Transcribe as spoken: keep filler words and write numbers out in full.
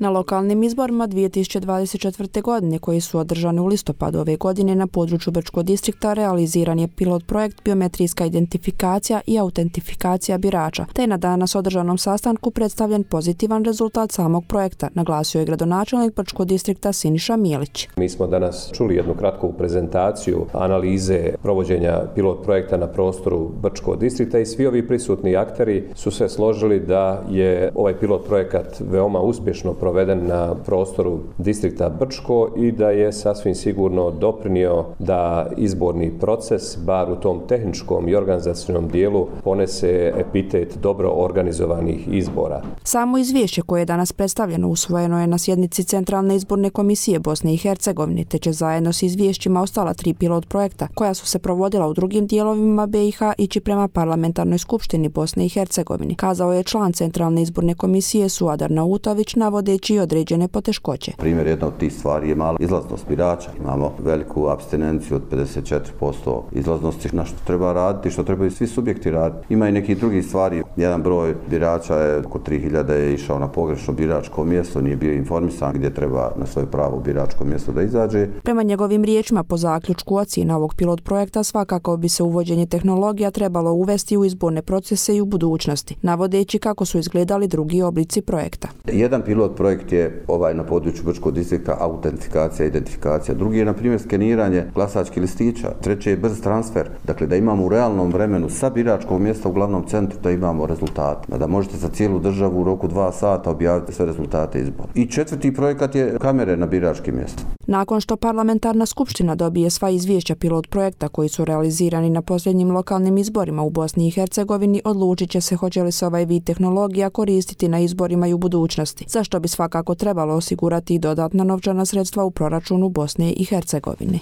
Na lokalnim izborima dvije tisuće dvadeset četvrte. godine, koji su održani u listopadu ove godine na području Brčkog distrikta, realiziran je pilot projekt biometrijska identifikacija i autentifikacija birača, te je na danas održanom sastanku predstavljen pozitivan rezultat samog projekta, naglasio je gradonačelnik Brčkog distrikta Siniša Milić. Mi smo danas čuli jednu kratku prezentaciju analize provođenja pilot projekta na prostoru Brčkog distrikta i svi ovi prisutni akteri su se složili da je ovaj pilot projekat veoma uspješno proveden na prostoru distrikta Brčko i da je sasvim sigurno doprinio da izborni proces, bar u tom tehničkom i organizacionom dijelu, ponese epitet dobro organizovanih izbora. Samo izvješće koje je danas predstavljeno usvojeno je na sjednici Centralne izborne komisije Bosne i Hercegovine, te će zajedno s izvješćima ostala tri pilot projekta koja su se provodila u drugim dijelovima B i H ići prema Parlamentarnoj skupštini Bosne i Hercegovine, kazao je član Centralne izborne komisije Suadar Nautović, navodeći određene poteškoće. Primjer jedna od tih stvari je mala izlaznost birača. Imamo veliku apstinenciju od pedeset četiri posto izlaznosti, na što treba raditi, što trebaju svi subjekti raditi. Ima i nekih drugih stvari. Jedan broj birača je oko tri hiljade je išao na pogrešno biračko mjesto, nije bio informisan gdje treba na svoje pravo biračko mjesto da izađe. Prema njegovim riječima, po zaključku ocjena ovog pilot projekta, svakako bi se uvođenje tehnologija trebalo uvesti u izborne procese i u budućnosti, navodeći kako su izgledali drugi oblici projekta. Jedan pilot projekt je ovaj na području Brčkog distrikta autentifikacija, identifikacija. Drugi je, na primjer, skeniranje glasačkih listića. Treći je brz transfer. Dakle, da imamo u realnom vremenu sa biračkog mjesta u glavnom centru da imamo rezultate. Da možete za cijelu državu u roku dva sata objaviti sve rezultate izbora. I četvrti projekat je kamere na biračkim mjestima. Nakon što Parlamentarna skupština dobije sva izvješća pilot projekta koji su realizirani na posljednjim lokalnim izborima u Bosni i Hercegovini, odlučit će se hoće li se ovaj vid tehnologija koristiti na izborima i u budućnosti, za što bi svakako trebalo osigurati i dodatna novčana sredstva u proračunu Bosne i Hercegovine.